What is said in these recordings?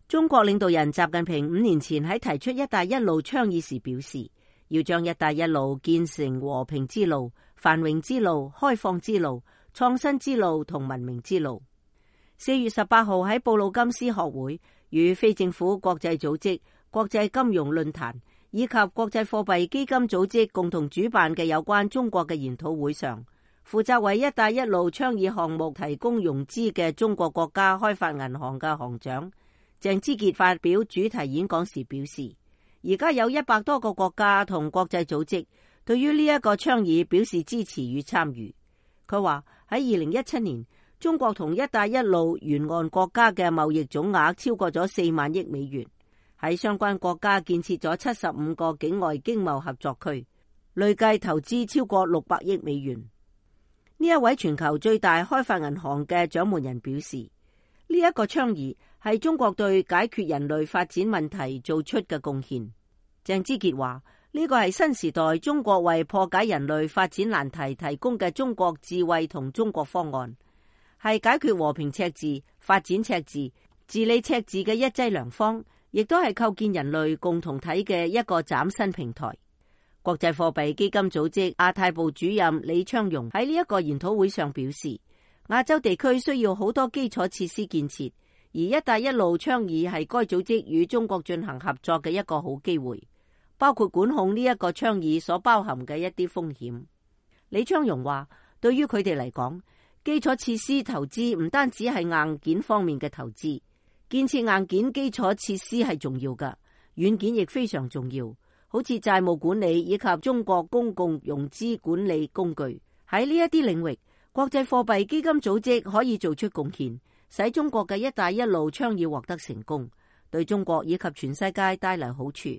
中國領導人習近平5年前喺提出一帶一路倡議時表示，要將一帶一路建成和平之路、繁榮之路、開放之路、創新之路同文明之路。4月18號喺布魯金斯學會與非政府國際組織、國際金融論壇以及國際貨幣基金組織共同主辦嘅有關中國嘅研討會上，負責為一帶一路倡議項目提供融資嘅中國國家開發銀行嘅行長鄭之傑發表主題演講時表示，而家有100多個國家同國際組織對於呢一個倡議表示支持與參與。佢話喺2017年，中國同一帶一路沿岸國家嘅貿易總額超過咗4萬億美元，喺相關國家建設咗75個境外經貿合作區，累計投資超過600億美元。呢一位全球最大開發銀行嘅掌門人表示，呢一個倡議係中國對解決人類發展問題做出嘅貢獻。鄭之傑話，呢個係新時代中國為破解人類發展難題提供嘅中國智慧同中國方案，係解決和平赤字、發展赤字、治理赤字嘅一劑良方，亦都係構建人類共同體嘅一個嶄新平台。國際貨幣基金組織亞太部主任李昌榮喺呢一個研討會上表示，亞洲地區需要好多基礎設施建設，而一帶一路倡議係該組織與中國進行合作嘅一個好機會，包括管控呢一個倡議所包含嘅一啲風險。李昌榮話，對於佢哋嚟講，基礎設施投資唔單止係硬件方面嘅投資，建設硬件基礎設施係重要㗎，軟件亦非常重要，好似債務管理以及中國公共融資管理工具。喺呢一啲領域，國際貨幣基金組織可以做出貢獻，使中國嘅一帶一路倡議獲得成功，對中國以及全世界帶來好處。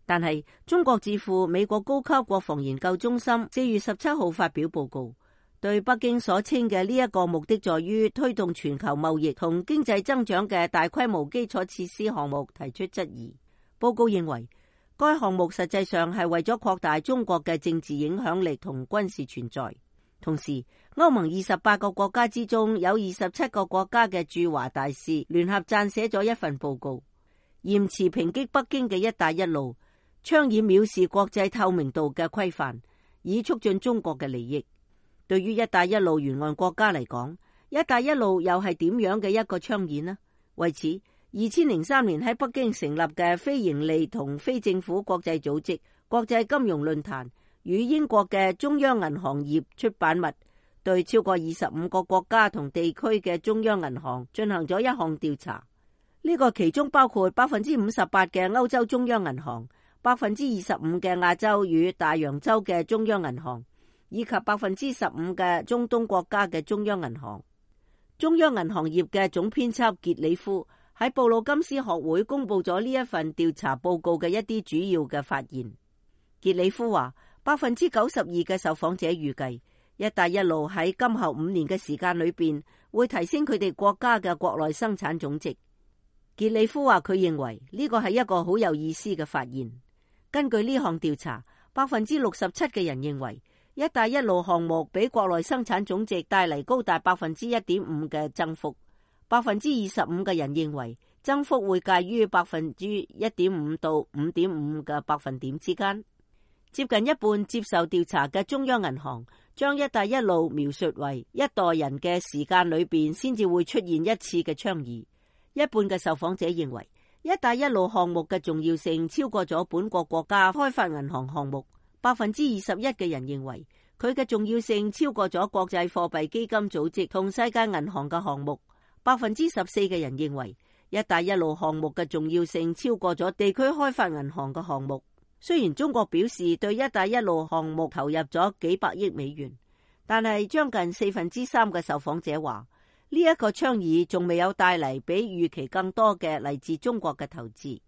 但係中國智庫美國高級國防研究中心4月17號發表報告，對北京所稱嘅呢一個目的在於推動全球貿易同經濟增長嘅大規模基礎設施項目提出質疑。報告認為，該項目實際上係為咗擴大中國嘅政治影響力同軍事存在。同時，歐盟28個國家之中有27個國家嘅駐華大使聯合撰寫咗一份報告，嚴詞抨擊北京嘅一帶一路倡議藐視國際透明度嘅規範，以促進中國嘅利益。對於一帶一路沿岸國家嚟講，一帶一路又係點樣嘅一個倡議呢？為此，2003年喺北京成立嘅非營利同非政府國際組織國際金融論壇與英國嘅中央銀行業出版物對超過25個國家同地區嘅中央銀行進行咗一項調查。呢個其中包括58%嘅歐洲中央銀行、25%嘅亞洲與大洋洲嘅中央銀行，以及15%嘅中東國家嘅中央銀行。中央銀行業嘅總編輯傑里夫喺布魯金斯學會公布咗呢一份調查報告嘅一啲主要嘅發現。傑里夫話，92%嘅受訪者預計一帶一路喺今後5年嘅時間裏邊會提升佢哋國家嘅國內生產總值。傑里夫話佢認為呢個係一個好有意思嘅發現。根據呢項調查，67%嘅人認為一帶一路項目俾國內生產總值帶嚟高達1.5%嘅增幅。25%嘅人認為增幅會介於1.5%到5.5%嘅百分點之間。接近一半接受調查嘅中央銀行將一帶一路描述為一代人嘅時間裏邊先至會出現一次嘅倡議。一半嘅受訪者認為一帶一路項目嘅重要性超過咗本國國家開發銀行項目。21%嘅人認為佢嘅重要性超過咗國際貨幣基金組織同世界銀行嘅項目。14%嘅人認為一帶一路項目嘅重要性超過咗地區開發銀行嘅項目。雖然中國表示對一帶一路項目投入咗幾百億美元，但係將近3%嘅受訪者話呢一個倡議仲未有帶嚟比預期更多嘅嚟自中國嘅投資。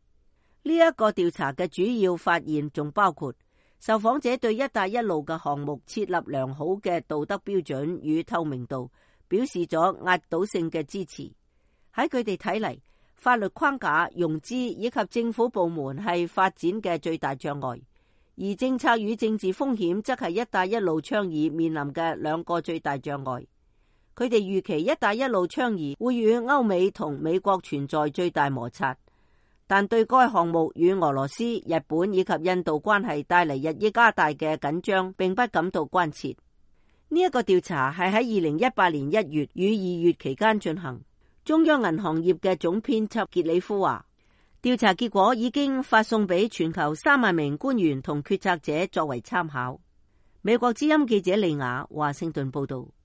呢一個調查嘅主要發現仲包括受訪者對一帶一路嘅項目設立良好嘅道德標準與透明度表示咗壓倒性嘅支持。喺佢哋睇嚟，法律框架、融資以及政府部門係發展嘅最大障礙，而政策與政治風險則係一帶一路倡議面臨嘅兩個最大障礙。佢哋預期一帶一路倡議會與歐美同美國存在最大摩擦，但對該項目與俄羅斯、日本以及印度關係帶嚟日益加大嘅緊張並不感到關切。呢一個調查係喺2018年1月與2月期間進行。中央銀行業嘅總編輯傑里夫話，調查結果已經發送俾全球3萬名官員同決策者作為參考。美國之音記者利亞華盛頓報道。